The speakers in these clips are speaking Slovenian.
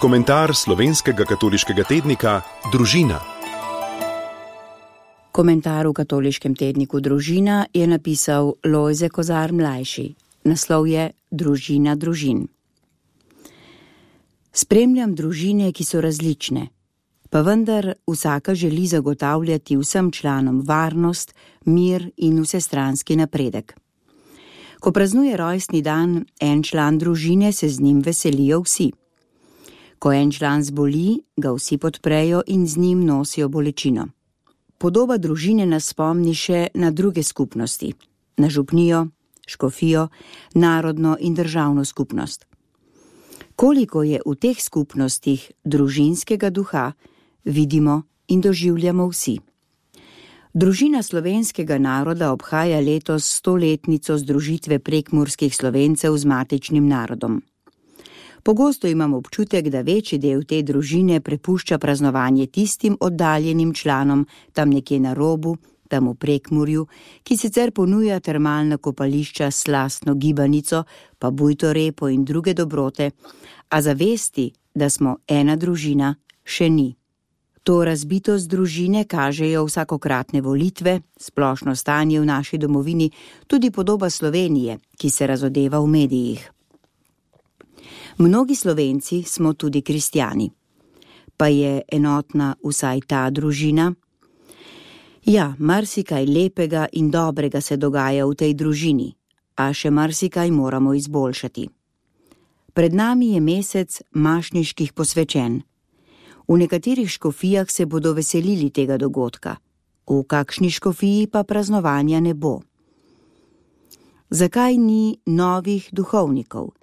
Komentar slovenskega katoliškega tednika Družina. Komentar v katoliškem tedniku Družina je napisal Lojze Kozar mlajši. Naslov je Družina družin. Spremljam družine, ki so različne, pa vendar vsaka želi zagotavljati vsem članom varnost, mir in vsestranski napredek. Ko praznuje rojstni dan en član družine, se z njim veselijo vsi. Ko en član zboli, ga vsi podprejo in z njim nosijo bolečino. Podoba družine nas spomni še na druge skupnosti, na župnijo, škofijo, narodno in državno skupnost. Koliko je v teh skupnostih družinskega duha, vidimo in doživljamo vsi. Družina slovenskega naroda obhaja letos 100-letnico združitve prekmurskih Slovencev z matičnim narodom. Pogosto imam občutek, da večji del te družine prepušča praznovanje tistim oddaljenim članom tam nekje na robu, tam v Prekmurju, ki sicer ponuja termalna kopališča s slastno gibanico, pa bujto repo in druge dobrote, a zavesti, da smo ena družina, še ni. To razbitost družine kažejo vsakokratne volitve, splošno stanje v naši domovini, tudi podoba Slovenije, ki se razodeva v medijih. Mnogi Slovenci smo tudi kristjani. Pa je enotna vsaj ta družina? Ja, marsikaj lepega in dobrega se dogaja v tej družini, a še marsikaj moramo izboljšati. Pred nami je mesec mašniških posvečenj. V nekaterih škofijah se bodo veselili tega dogodka, v kakšni škofiji pa praznovanja ne bo. Zakaj ni novih duhovnikov?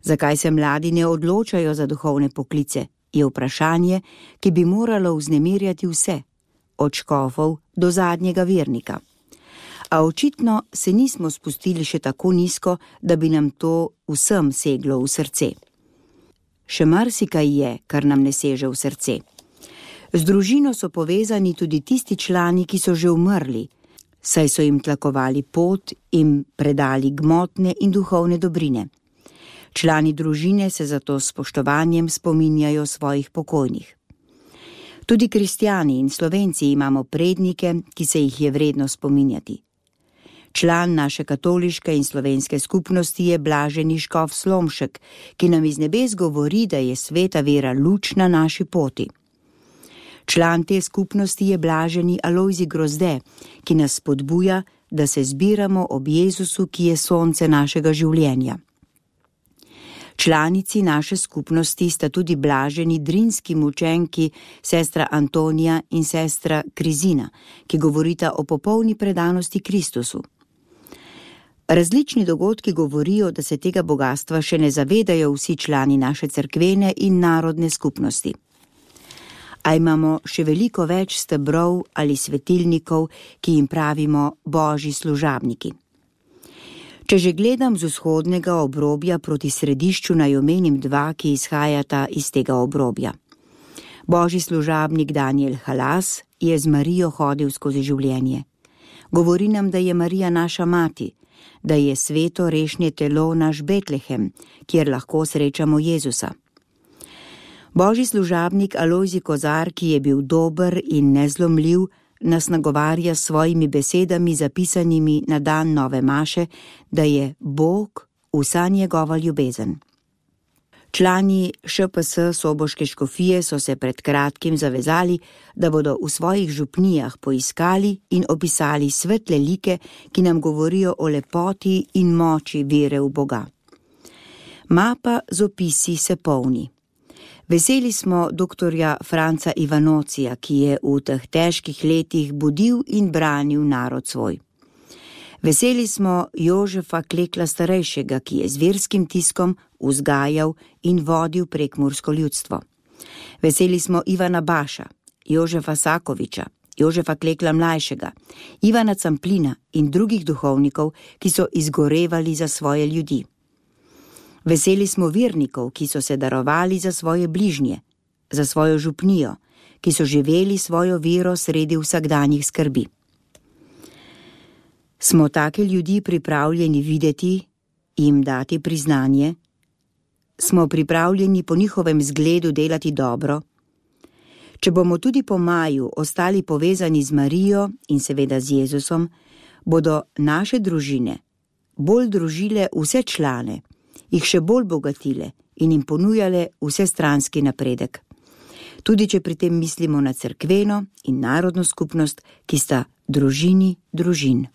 Zakaj se mladi ne odločajo za duhovne poklice, je vprašanje, ki bi moralo vznemirjati vse, od škofov do zadnjega vernika. A očitno se nismo spustili še tako nizko, da bi nam to vsem seglo v srce. Še marsikaj je, kar nam ne seže v srce. Z družino so povezani tudi tisti člani, ki so že umrli, saj so jim tlakovali pot in predali gmotne in duhovne dobrine. Člani družine se zato s spoštovanjem spominjajo svojih pokojnih. Tudi kristjani in Slovenci imamo prednike, ki se jih je vredno spominjati. Član naše katoliške in slovenske skupnosti je blaženi škof Slomšek, ki nam iz nebes govori, da je sveta vera luč na naši poti. Član te skupnosti je blaženi Alojzij Grozde, ki nas spodbuja, da se zbiramo ob Jezusu, ki je sonce našega življenja. Članici naše skupnosti sta tudi blaženi drinski mučenki sestra Antonija in sestra Krizina, ki govorita o popolni predanosti Kristusu. Različni dogodki govorijo, da se tega bogastva še ne zavedajo vsi člani naše cerkvene in narodne skupnosti. A imamo še veliko več stebrov ali svetilnikov, ki jim pravimo božji služabniki. Če že gledam z vzhodnega obrobja proti središču, naj omenim dva, ki izhajata iz tega obrobja. Božji služabnik Daniel Halas je z Marijo hodil skozi življenje. Govori nam, da je Marija naša mati, da je sveto rešnje telo naš Betlehem, kjer lahko srečamo Jezusa. Božji služabnik Alojzij Kozar, ki je bil dober in nezlomljiv, nas nagovarja s svojimi besedami zapisanimi na dan nove maše, da je Bog vsa njegova ljubezen. Člani ŠPS Soboške škofije so se pred kratkim zavezali, da bodo v svojih župnijah poiskali in opisali svetle like, ki nam govorijo o lepoti in moči vere v Boga. Mapa z opisi se polni. Veseli smo doktorja Franca Ivanocija, ki je v teh težkih letih budil in branil narod svoj. Veseli smo Jožefa Klekla starejšega, ki je z verskim tiskom vzgajal in vodil prekmursko ljudstvo. Veseli smo Ivana Baša, Jožefa Sakoviča, Jožefa Klekla mlajšega, Ivana Camplina in drugih duhovnikov, ki so izgorevali za svoje ljudi. Veseli smo vernikov, ki so se darovali za svoje bližnje, za svojo župnijo, ki so živeli svojo vero sredi vsakdanjih skrbi. Smo take ljudi pripravljeni videti, jim dati priznanje? Smo pripravljeni po njihovem zgledu delati dobro? Če bomo tudi po maju ostali povezani z Marijo in seveda z Jezusom, bodo naše družine bolj družile vse člane, jih še bolj bogatile in jim ponujale vsestranski napredek. Tudi če pri tem mislimo na cerkveno in narodno skupnost, ki sta družini družin.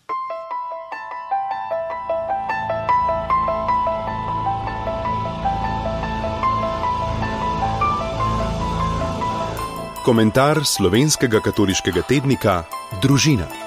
Komentar slovenskega katoliškega tednika Družina.